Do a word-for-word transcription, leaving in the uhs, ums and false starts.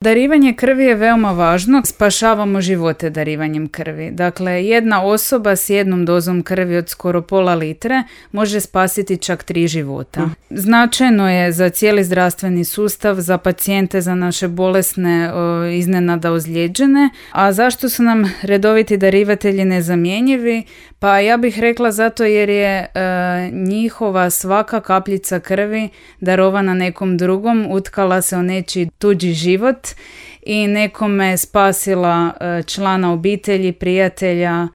Darivanje krvi je veoma važno, spašavamo živote darivanjem krvi. Dakle, jedna osoba s jednom dozom krvi od skoro pola litre može spasiti čak tri života. Značajno je za cijeli zdravstveni sustav, za pacijente, za naše bolesne, o, iznenada ozlijeđene. A zašto su nam redoviti darivatelji nezamjenjivi? Pa ja bih rekla zato jer je e, njihova svaka kapljica krvi darovana nekom drugom, utkala se o nečiji tuđi život i nekome spasila člana obitelji, prijatelja,